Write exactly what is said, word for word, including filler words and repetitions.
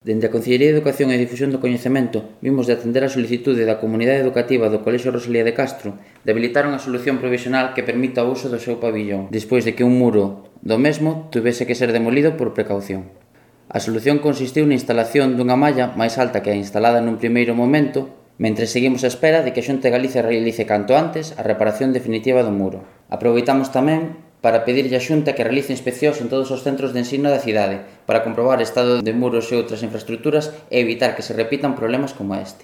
Dende a Consellería de Educación e Difusión do Coñecemento vimos de atender a solicitude da comunidade educativa do Colexio Rosalía de Castro de habilitar unha solución provisional que permita o uso do seu pabillón, despois de que un muro do mesmo tuvese que ser demolido por precaución. A solución consistiu na instalación dunha malla máis alta que a instalada nun primeiro momento, mentre seguimos á espera de que a Xunta de Galicia realice canto antes a reparación definitiva do muro. Aproveitamos tamén para pedirlle á Xunta que realice inspeccións en todos os centros de ensino da cidade para comprobar o estado de muros e outras infraestruturas e evitar que se repitan problemas como este.